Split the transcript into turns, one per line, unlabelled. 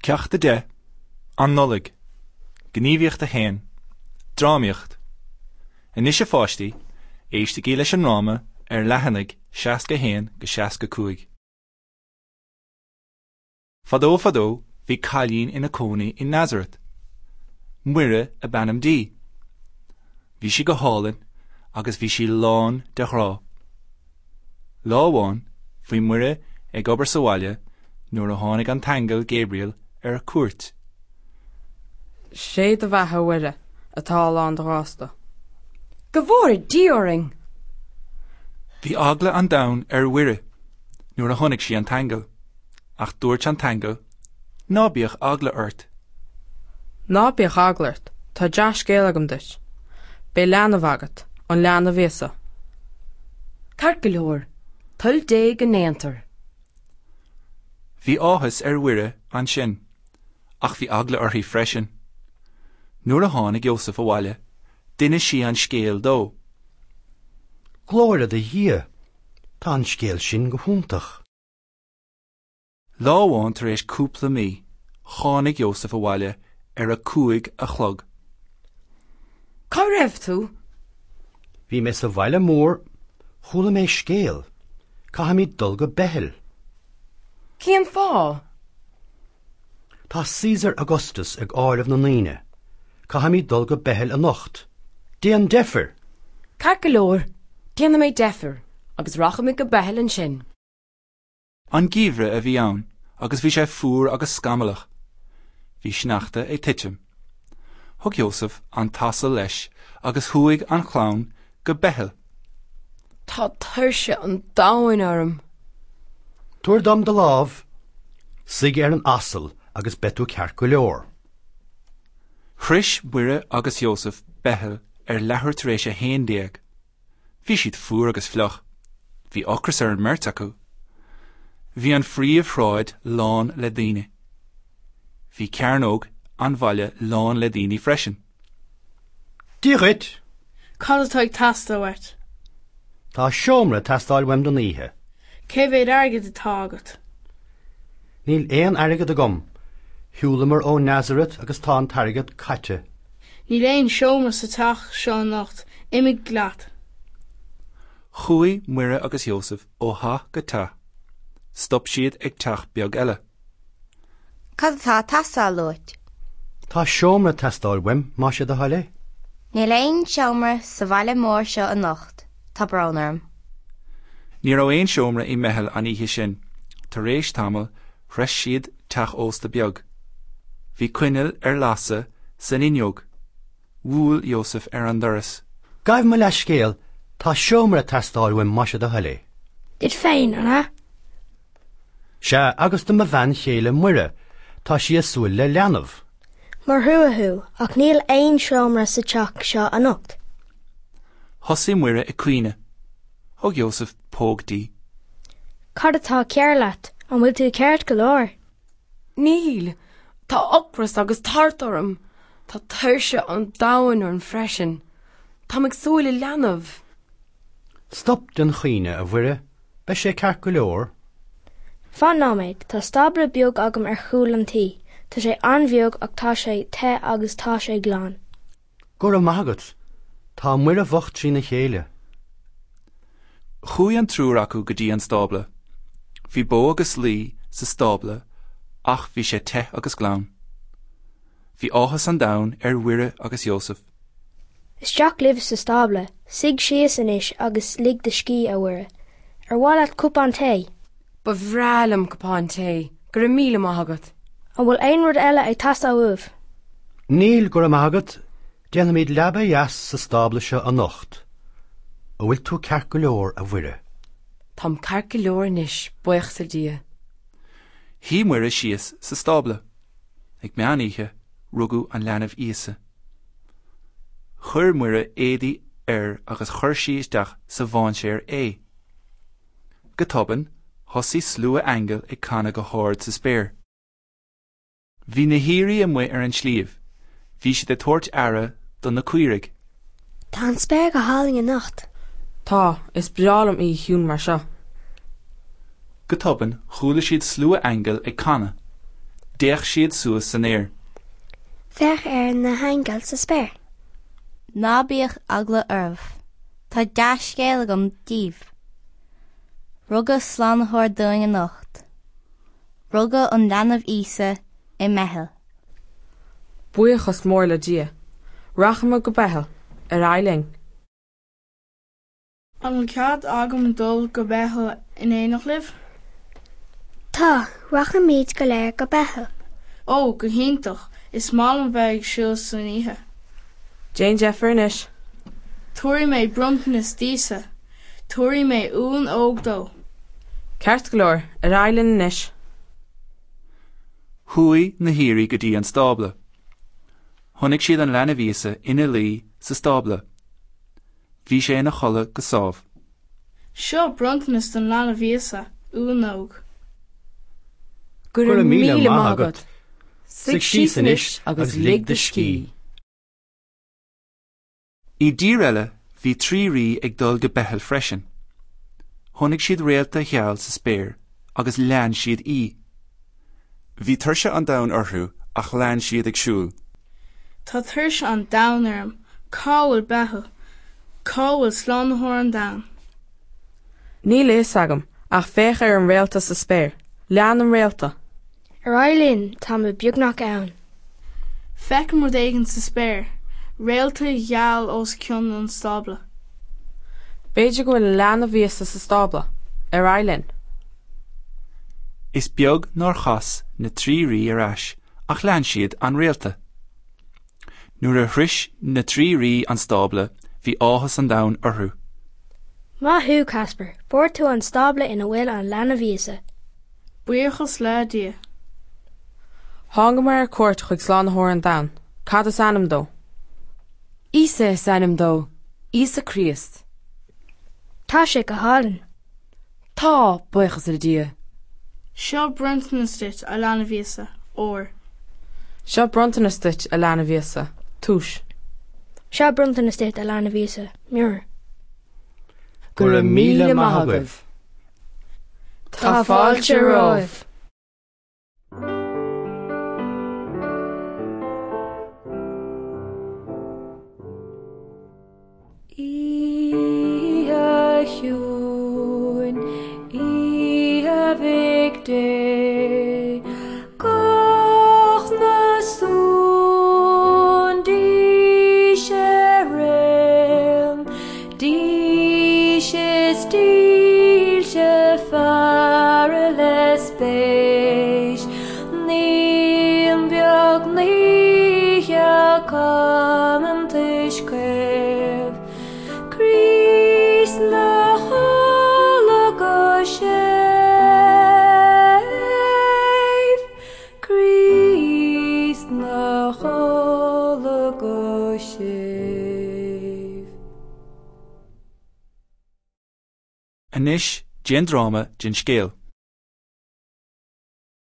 Ceacht 10, An Nollaig, Gníomhaíocht 1, Drámaíocht Anois a pháistí, éistigí leis an ndráma ar leathanaigh 61-65. Fadó fadó bhí cailín ina cónaí i Nazaret. Muire ab ainm di. Bhí sí go hálainn agus bhí sí lán de ghrá. Lá amháin, bhí Muire ag obair sa bhaile nuair a tháinig an t-aingeal Gabriel ar cuairt.
Sé do bheatha, a Mhuire, atá lán de ghrásta.
Go bhfóire Dia orainn!
Bhí eagla an domhain ar Mhuire nuair a chonaic sí an t-aingeal, ach dúirt an t-aingeal, Ná bíodh eagla ort.
Ná bíodh eagla ort, tá dea-scéal agam duit. Beidh leanbh agat, an leanbh Íosa.
Ceart go leor, toil Dé go ndéantar.
Bhí áthas ar Mhuire ansin, ach bhí eagla uirthi freisin. Nuair a tháinig Iósaf abhaile, d'inis sí an scéal dó.
Glóire do Dhia! Tá an scéal sin go hiontach.
Lá amháin tar éis cúpla mí, tháinig Iósaf abhaile ar a 5 a chlog.
Cá raibh tú?
Bhí mé sa bhaile mór. Chuala mé scéal. Caithfimid dul go Beithil.
Cén fáth?
Tá Caesar Augustus ag áireamh na ndaoine. Caithfimid dul go Beithil anocht. Déan deifir!
Ceart go leor, déanfaidh mé deifir agus rachaimid go Beithil ansin.
An geimhreadh a bhí ann agus bhí sé fuar agus scamallach. Bhí sneachta ag titim. Thug Iósaf an t-asal leis agus chuaigh an chlann go Beithil.
Tá tuirse an domhain orm.
Tabhair dom do lámh. Suigh ar an asal agus beidh tú ceart go leor.
Shroich Muire agus Iósaf Beithil ar leathuair tar éis a 11. Bhí siad fuar agus fliuch. Bhí ocras ar an mbeirt acu. Bhí an phríomhshráid lán le daoine. Bhí cearnóg an bhaile lán le daoine freisin.
Dia dhuit!
Cad atá ag teastáil uait?
Tá seomra ag teastáil uaim don oíche.
Cé mhéad airgid atá agat?
Níl aon airgead agam. Shiúlamar ó Nazaret agus tá an t-airgead caite.
Níl aon seomra sa teach seo anocht, imigh leat.
Chuaigh Muire agus Iósaf ó theach go teach. Stop siad ag teach beag eile.
Cad atá ag teastáil uait?
Tá seomra ag teastáil uaim, más é do thoil é.
Níl aon seomra sa bhaile mór seo anocht, tá brón orm.
Ní raibh aon seomra i mBeithil an oíche sin. Tar éis tamaill, shroich siad teach ósta beag. Bhí coinneal ar lasadh san fhuinneog. Bhuail Iósaf ar an doras.
Gabh mo leithscéal, tá seomra ag teastáil uaim más é do thoil é.
Duit féin, an ea?
Sea, agus do mo bhean chéile Muire, tá sí ag súil le leanbh.
Mar thrua thú, ach níl aon seomra sa teach seo anocht.
Thosaigh Muire ag caoineadh. Thug Iósaf póg di.
Cad atá cearr leat? An bhfuil tú ceart go leor?
Níl. Tá ocras agus tart orm. Tá tuirse an domhain orm freisin. Táim ag súil le leanbh.
Stop den chaoineadh, a Mhuire. Beidh sé ceart go leor.
Fan nóiméad, tá stábla beag agam ar chúl an tí. Tá sé an-bheag ach tá sé te agus tá sé glan.
Go raibh maith agat. Tá Muire bhocht trína chéile.
Chuaigh an triúr acu go dtí an stábla. Bhí bó agus lao sa stábla ach bhí sé te agus glan. Bhí áthas an domhain ar Mhuire agus Iósaf.
Isteach libh sa stábla, suigh síos anois agus lig do scíth, a Mhuire. Ar mhaith leat cupán tae?
Ba bhreá liom cupán tae, go raibh míle maith agat.
An bhfuil aon rud eile ag teastáil uaibh?
Níl, go raibh maith agat. Déanfaimid leaba dheas sa stábla seo anocht. An bhfuil tú ceart go leor, a Mhuire?
Táim ceart go leor anois, buíochas le Dia.
Shuigh Muire síos sa stábla. Ag meán oíche, rugadh an leanbh Íosa. Chuir Muire éadaí air agus chuir sí isteach sa mháinséar é. Go tobann, thosaigh slua aingeal ag canadh go hard sa spéir. Bhí na haoirí amuigh ar an sliabh. Bhí siad ag tabhairt aire do na caoirigh.
Tá an spéir go hálainn anocht.
Tá, is breá liom oíche chiúin mar seo.
Go tobann, chuala siad slua aingeal ag canadh. D'fhéach siad suas san aer.
Féach ar na haingil sa spéir.
Ná bíodh eagla oraibh. Tá dea-scéal agam daoibh. Rugadh Slánaitheoir dúinn anocht. Rugadh an leanbh Íosa i mBeithil.
Buíochas mór le Dia. Rachaimid go Beithil. Ar aghaidh linn.
An bhfuil cead agam dul go Beithil in éineacht libh?
Tá, rachaimid go léir go Beithil.
Ó, go hiontach! Is maith liom bheith ag siúl san oíche.
Déan deifir anois.
Tabharfaidh mé bronntanas d'Íosa. Tabharfaidh mé uan óg dó.
Ceart go leor, ar aghaidh linn anois.
Chuaigh na haoirí go dtí an stábla. Chonaic siad an leanbh Íosa ina luí sa stábla. Bhí sé ina chodladh go sámh.
Seo bronntanas don leanbh Íosa, uan óg.
Go raibh míle maith agat. Suigh síos anois agus lig do scíth.
I dtír eile bhí trí rí ag dul go Beithil freisin. Chonaic siad réalta gheal sa spéir agus lean siad í. Bhí tuirse an domhain orthu ach lean siad ag siúl.
Tá tuirse an domhain orm. Cá bhfuil Beithil? Cá bhfuil Slánaitheoir an domhain?
Níl a fhios agam, ach féach ar an réalta sa spéir. Lean an réalta.
Ar aghaidh linn, táimid beagnach ann.
Feicim rud éigin sa spéir, réalta gheal os cionn an stábla.
B'fhéidir go bhfuil an leanbh Íosa sa stábla. Ar aghaidh linn.
Is beag nár chas na trí rí ar ais ach lean siad an réalta. Nuair a shroich na trí rí an stábla bhí áthas an domhain orthu.
Maith thú, Casper, fuair tú an stábla ina bhfuil an leanbh Íosa.
Buíochas le Dia.
Thángamar ar cuairt chuig Slánaitheoir an domhain. Cad is ainm dó?
Íosa is ainm dó. Íosa Críost.
Tá sé go hálainn.
Tá, buíochas le Dia.
Seo bronntanas duit, a leanbh Íosa, ór.
Seo bronntanas duit, a leanbh Íosa, túis.
Seo bronntanas duit, a leanbh Íosa, miorr.
Go raibh míle maith agaibh.
Tá fáilte romhaibh.
Oíche chiúin, oíche Mhic Dé, Gach náisiún dís ar aon, Dís is dílse faire le spéis, Naíon beag naofa camántais caomh, Críost 'na chodladh go séimh, Críost 'na chodladh go séimh.
Anois déan dráma den scéal.